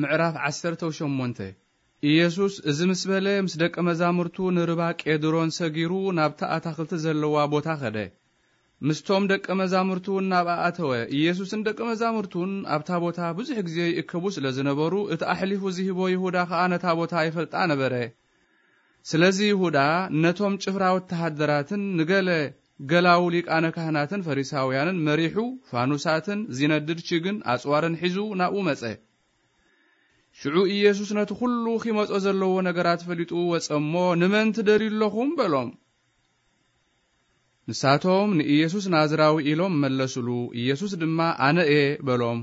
ምዕራፍ ዓሰርተ ሸሞንተ። ኢየሱስ እዚ ምስ በለ፣ ምስ ደቀ መዛሙርቱ ንርባ ቄድሮን ሰጊሩ ናብታ ኣታኽልቲ ዘለዋ ቦታ ኸደ። ምስቶም ደቀ መዛሙርቱ እውን ናብኣ ኣተወ። ኢየሱስን ደቀ መዛሙርቱን ኣብታ ቦታ ብዙሕ ግዜ ይእከቡ ስለ ዝነበሩ፣ እቲ ኣሕሊፉ ዝህቦ ይሁዳ ኸኣ ነታ ቦታ ይፈልጣ ነበረ። ስለዚ ይሁዳ ነቶም ጭፍራ ወተሃደራትን ንገለ ገላዉ ሊቃነ ካህናትን ፈሪሳውያንን መሪሑ፣ ፋኑሳትን ዚነድድ ችግን ኣጽዋርን ሒዙ ናብኡ መጸ። ሽዑ ኢየሱስ ነቲ ኹሉ ኺመጾ ዘለዎ ነገራት ፈሊጡ ወጸ እሞ፣ "ንመን ትደልዩ ኣለኹም?" በሎም። ንሳቶም፣ "ንኢየሱስ ናዝራዊ" ኢሎም መለሱሉ። ኢየሱስ ድማ፣ "ኣነ እየ" በሎም።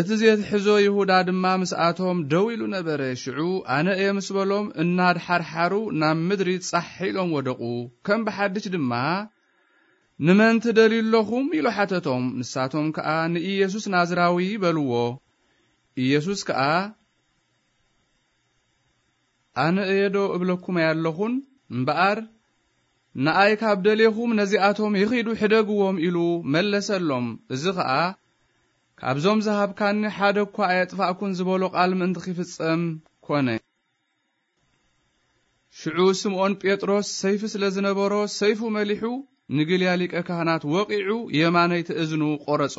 እቲ ዜትሕዞ ይሁዳ ድማ ምስኣቶም ደው ኢሉ ነበረ። ሽዑ፣ "ኣነ እየ" ምስ በሎም፣ እናድሓርሓሩ ናብ ምድሪ ጻሕ ኢሎም ወደቑ። ከም ብሓድሽ ድማ፣ "ንመን ትደልዩ ኣለኹም?" ኢሉ ሓተቶም። ንሳቶም ከኣ፣ "ንኢየሱስ ናዝራዊ" በልዎ። ኢየሱስ ከኣ፣ "ኣነ እየ ዶ እብለኩም ኣየለኹን? እምበኣር፣ ንኣይ ካብ ደሌኹም ነዚኣቶም ይኺዱ ሕደግዎም" ኢሉ መለሰሎም። እዚ ኸኣ፣ "ካብዞም ዝሃብካኒ ሓደ እኳ ኣየጥፋእኩን" ዝበሎ ቃል ምእንቲ ኺፍጸም ኮነ። ሽዑ ስምዖን ጴጥሮስ ሰይፊ ስለ ዝነበሮ፣ ሰይፉ መሊሑ ንግልያ ሊቀ ካህናት ወቒዑ የማነይቲ እዝኑ ቈረጾ።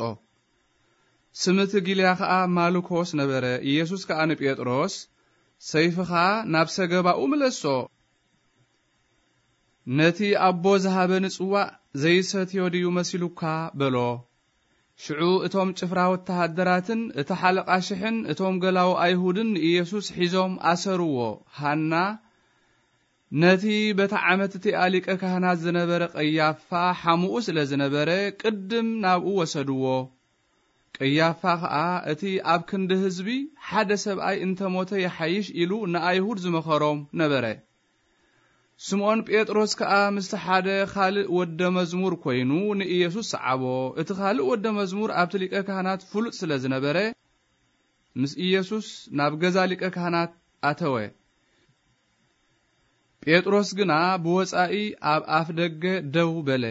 ስም እቲ ግልያ ኸኣ ማልኮስ ነበረ። ኢየሱስ ከኣ ንጴጥሮስ፣ "ሰይፍኻ ናብ ሰገባኡ ምለሶ። ነቲ ኣቦ ዝሃበኒ ጽዋእ ዘይሰትዮ ድዩ መሲሉካ?" በሎ። ሽዑ እቶም ጭፍራ ወተሃደራትን እቲ ሓለቓ ሽሕን እቶም ገላዉ ኣይሁድን ንኢየሱስ ሒዞም ኣሰርዎ። ሃና ነቲ በታ ዓመት እቲኣ ሊቀ ካህናት ዝነበረ ቀያፋ ሓሙኡ ስለ ዝነበረ፣ ቅድም ናብኡ ወሰድዎ። ቀያፋ ኸኣ እቲ ኣብ ክንዲ ህዝቢ ሓደ ሰብኣይ እንተ ሞተ ይሓይሽ ኢሉ ንኣይሁድ ዝመኸሮም ነበረ። ስምዖን ጴጥሮስ ከኣ ምስቲ ሓደ ኻልእ ወደ መዝሙር ኮይኑ ንኢየሱስ ሰዓቦ። እቲ ኻልእ ወደ መዝሙር ኣብቲ ሊቀ ካህናት ፍሉጥ ስለ ዝነበረ፣ ምስ ኢየሱስ ናብ ገዛ ሊቀ ካህናት ኣተወ። ጴጥሮስ ግና ብወጻኢ ኣብ ኣፍ ደገ ደው በለ።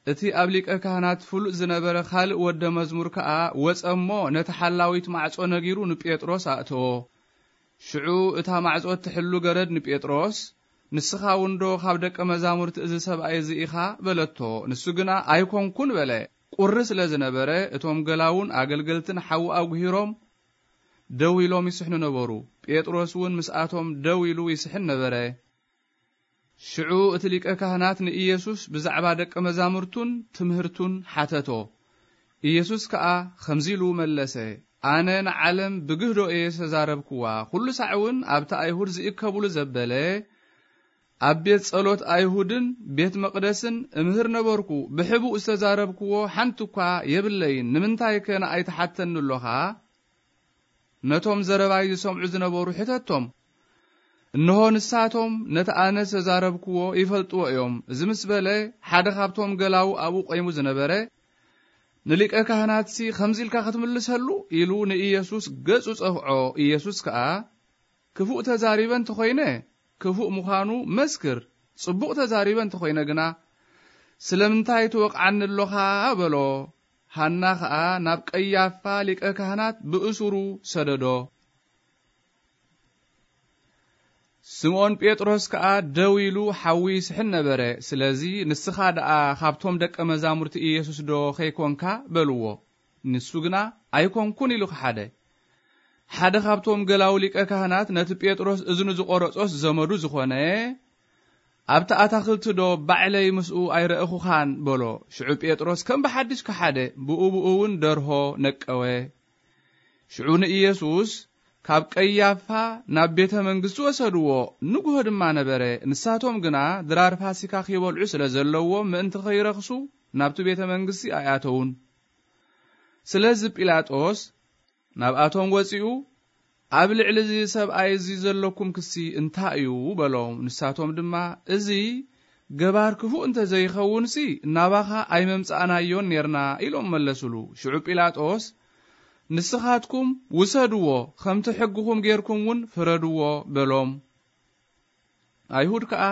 እቲ ኣብ ሊቀ ካህናት ፍሉጥ ዝነበረ ኻልእ ወደ መዝሙር ከኣ ወጸ እሞ ነቲ ሓላዊት ማዕጾ ነጊሩ ንጴጥሮስ ኣእተዎ። ሽዑ እታ ማዕጾ እትሕሉ ገረድ ንጴጥሮስ፣ "ንስኻ እውን ዶ ካብ ደቀ መዛሙርቲ እዚ ሰብኣይ እዚ ኢኻ?" በለቶ። ንሱ ግና "ኣይኮንኩን" በለ። ቁሪ ስለ ዝነበረ፣ እቶም ገላዉን ኣገልገልትን ሓዊ ኣጉሂሮም ደው ኢሎም ይስሕኑ ነበሩ። ጴጥሮስ እውን ምስኣቶም ደው ኢሉ ይስሕን ነበረ። ሽዑ እቲ ሊቀ ካህናት ንኢየሱስ ብዛዕባ ደቀ መዛሙርቱን ትምህርቱን ሓተቶ። ኢየሱስ ከኣ ከምዚ ኢሉ መለሰ፣ "ኣነ ንዓለም ብግህዶ እየ ዝተዛረብክዋ፣ ኩሉ ሳዕ እውን ኣብቲ ኣይሁድ ዝእከብሉ ዘበለ ኣብ ቤት ጸሎት ኣይሁድን ቤት መቕደስን እምህር ነበርኩ። ብሕቡእ ዝተዛረብክዎ ሓንቲ እኳ የብለይን። ንምንታይከ ንኣይ ትሓተኒ ኣሎኻ?" ነቶም ዘረባይ ዝሰምዑ ዝነበሩ ሕተቶም። እንሆ ንሳቶም ነቲ ኣነ ዝተዛረብክዎ ይፈልጥዎ እዮም። እዚ ምስ በለ፣ ሓደ ካብቶም ገላዉ ኣብኡ ቆይሙ ዝነበረ፣ "ንሊቀ ካህናትሲ ከምዚ ኢልካ ክትምልሰሉ?" ኢሉ ንኢየሱስ ገጹ ጸፍዖ። ኢየሱስ ከኣ፣ "ክፉእ ተዛሪበ እንተኾይነ፣ ክፉእ ምዃኑ መስክር፣ ጽቡቕ ተዛሪበ እንተኾይነ ግና፣ ስለምንታይ ትወቕዓኒ ኣሎኻ?" በሎ። ሃና ኸኣ ናብ ቀያፋ ሊቀ ካህናት ብእሱሩ ሰደዶ። ስምዖን ጴጥሮስ ከኣ ደው ኢሉ ሓዊ ይስሕን ነበረ። ስለዚ፣ "ንስኻ ደኣ ካብቶም ደቀ መዛሙርቲ ኢየሱስ ዶ ኸይኮንካ?" በልዎ። ንሱ ግና፣ "ኣይኮንኩን" ኢሉ ከሓደ። ሓደ ካብቶም ገላዉ ሊቀ ካህናት፣ ነቲ ጴጥሮስ እዝኑ ዝቖረጾስ ዘመዱ ዝኾነ፣ "ኣብቲ ኣታኽልቲ ዶ ባዕለይ ምስኡ ኣይረእኹኻን?" በሎ። ሽዑ ጴጥሮስ ከም ብሓድሽ ከሓደ፣ ብኡ ብኡ እውን ደርሆ ነቀወ። ሽዑ ንኢየሱስ ካብ ቀያፋ ናብ ቤተ መንግስቲ ወሰድዎ። ንግሆ ድማ ነበረ። ንሳቶም ግና ድራር ፋሲካ ኺበልዑ ስለ ዘለዎም፣ ምእንቲ ኸይረኽሱ ናብቲ ቤተ መንግስቲ ኣይኣተዉን። ስለዚ ጲላጦስ ናብኣቶም ወጺኡ፣ "ኣብ ልዕሊ እዚ ሰብኣይ እዚ ዘለኩም ክሲ እንታይ እዩ?" በሎም። ንሳቶም ድማ፣ "እዚ ገባር ክፉእ እንተ ዘይኸውንሲ፣ ናባኻ ኣይመምጻእናዮን ኔርና" ኢሎም መለሱሉ። ሽዑ ጲላጦስ፣ "ንስኻትኩም ውሰድዎ፣ ከምቲ ሕግኹም ጌርኩም እውን ፍረድዎ" በሎም። ኣይሁድ ከኣ፣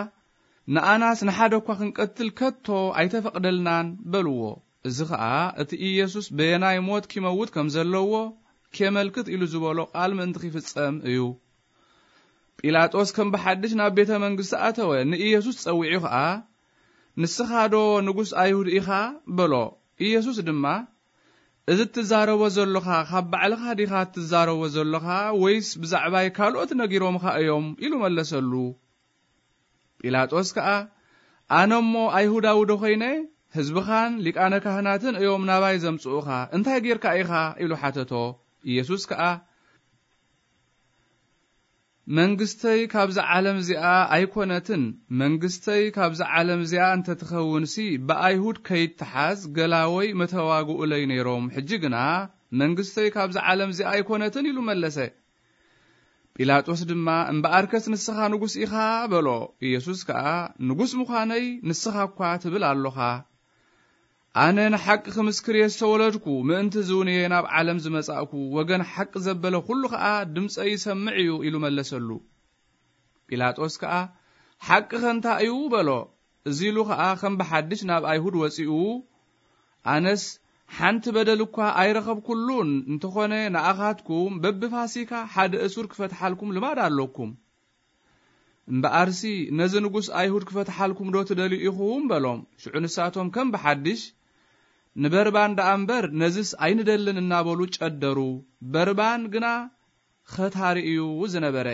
"ንኣናስ ንሓደ እኳ ክንቀትል ከቶ ኣይተፈቕደልናን" በልዎ። እዚ ኸኣ እቲ ኢየሱስ በየናይ ሞት ኪመውት ከም ዘለዎ ኬመልክት ኢሉ ዝበሎ ቃል ምእንቲ ኺፍጸም እዩ። ጲላጦስ ከም ብሓድሽ ናብ ቤተ መንግስቲ ኣተወ፣ ንኢየሱስ ጸዊዑ ኸኣ፣ "ንስኻ ዶ ንጉስ ኣይሁድ ኢኻ?" በሎ። ኢየሱስ ድማ፣ "እዚ እትዛረቦ ዘሎኻ ካብ ባዕልኻ ዲኻ እትዛረቦ ዘሎኻ፣ ወይስ ብዛዕባይ ካልኦት ነጊሮምኻ እዮም?" ኢሉ መለሰሉ። ጲላጦስ ከኣ፣ "ኣነ እሞ ኣይሁዳዊ ዶ ኾይነ? ህዝብኻን ሊቃነ ካህናትን እዮም ናባይ ዘምጽኡኻ። እንታይ ጌርካ ኢኻ?" ኢሉ ሓተቶ። ኢየሱስ ከኣ፣ "መንግስተይ ካብዛ ዓለም እዚኣ ኣይኮነትን። መንግስተይ ካብዛ ዓለም እዚኣ እንተትኸውንሲ፣ ብኣይሁድ ከይትሓዝ ገላወይ መተዋግኡለይ ነይሮም። ሕጂ ግና መንግስተይ ካብዛ ዓለም እዚኣ ኣይኮነትን" ኢሉ መለሰ። ጲላጦስ ድማ፣ "እምበኣርከስ ንስኻ ንጉስ ኢኻ?" በሎ። ኢየሱስ ከኣ፣ "ንጉስ ምዃነይ ንስኻ እኳ ትብል ኣሎኻ። ኣነ ንሓቂ ክምስክር እየ ዝተወለድኩ፣ ምእንቲ እዚ እውን እየ ናብ ዓለም ዝመጻእኩ። ወገን ሓቂ ዘበለ ኩሉ ኸኣ ድምጸይ ይሰምዕ እዩ" ኢሉ መለሰሉ። ጲላጦስ ከኣ፣ "ሓቅኸ እንታይ እዩ?" በሎ። እዚ ኢሉ ኸኣ ከም ብሓድሽ ናብ ኣይሁድ ወጺኡ፣ "ኣነስ ሓንቲ በደል እኳ ኣይረኸብኩሉን፣ እንተኾነ ንኣኻትኩም በብፋሲካ ሓደ እሱር ክፈትሓልኩም ልማድ ኣሎኩም። እምበኣርሲ ነዚ ንጉስ ኣይሁድ ክፈትሓልኩም ዶ ትደልዩ ኢኹም?" በሎም። ሽዑ ንሳቶም ከም ብሓድሽ፣ "ንበርባን ደኣ እምበር ነዝስ ኣይንደልን" እናበሉ ጨደሩ። በርባን ግና ኸታሪ እዩ ዝነበረ።